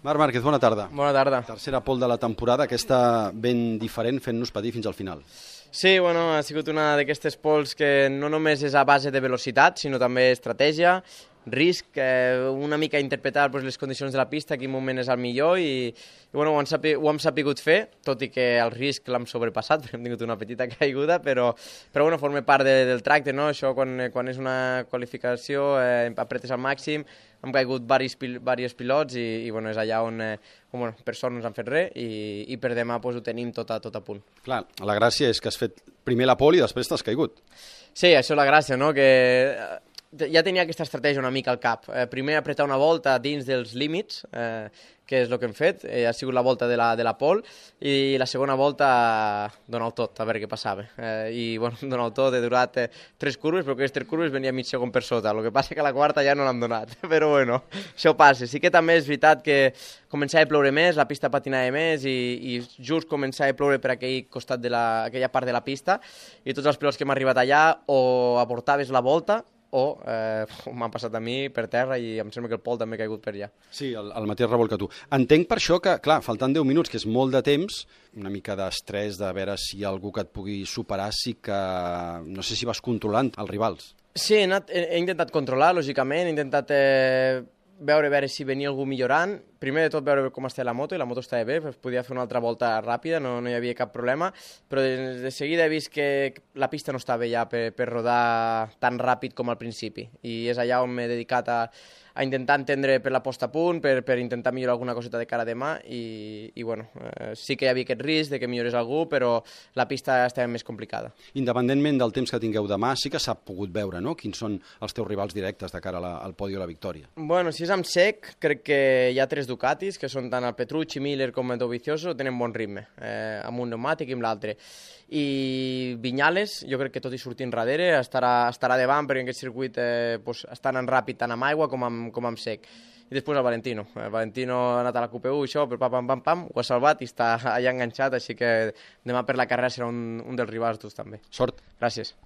Marc Márquez, bona tarda. Bona tarda. Tercera pole de la temporada, aquesta ben diferent, fent-nos patir fins al final. Sí, bueno, ha sigut una d'aquestes poles que no només és a base de velocitat, sinó també estratègia, risc, una mica interpretar les condicions de la pista, quin moment és el millor i bueno, ho hem sapigut fer, tot i que el risc l'hem sobrepassat, perquè hem tingut una petita caiguda, però bueno, forma part del tracte, no? Això quan és una qualificació, apretes al màxim, hem caigut diversos pilots i bueno, és allà on per sort no ens han fet res i per demà ho tenim tot a punt. Clar, la gràcia és que has fet primer la pole i després t'has caigut. Sí, això és la gràcia, no? Que ja tenia aquesta estratègia una mica al cap. Primer apretar una volta dins dels límits, que és el que hem fet, ha sigut la volta de la pole, i la segona volta donar el tot, a veure què passava. I bueno, donar el tot, he durat 3 curves, però aquestes 3 curves venia mig segon per sota, el que passa que a la quarta ja no l'hem donat, però bueno, això passa. Sí que també és veritat que començava a ploure més, la pista patinava més i just començava a ploure per aquell costat aquella part de la pista i tots els pilots que hem arribat allà o aportaves la volta o m'han passat a mi per terra i em sembla que el Pol també ha caigut per allà. Sí, el mateix revolt que tu. Entenc per això que, clar, faltant 10 minuts, que és molt de temps, una mica d'estrès de veure si hi ha algú que et pugui superar, sí que no sé si vas controlant els rivals. Sí, he intentat controlar, lògicament, he intentat veure si venia algú millorant. Primer de tot veure com estava la moto, i la moto estava bé, podia fer una altra volta ràpida, no hi havia cap problema, però de seguida he vist que la pista no estava ja per rodar tan ràpid com al principi, i és allà on m'he dedicat a intentar entendre per la posta a punt, per intentar millorar alguna coseta de cara a demà, i bueno, sí que hi havia aquest risc de que millorés algú, però la pista estava més complicada. Independentment del temps que tingueu demà, sí que s'ha pogut veure, no?, quins són els teus rivals directes de cara al podi o la victòria. Bueno, si és amb sec, crec que hi ha 3 Ducatis, que són tant el Petrucci, Miller com el Dovizioso, tenen bon ritme, amb un pneumàtic i amb l'altre. I Viñales, jo crec que tot i sortint darrere, estarà davant, perquè en aquest circuit està anant ràpid tant amb aigua com amb sec. I després el Valentino. El Valentino ha anat a la QP1 i això, però pam, ho ha salvat i està allà enganxat, així que demà per la carrera serà un dels rivals durs també. Sort. Gràcies.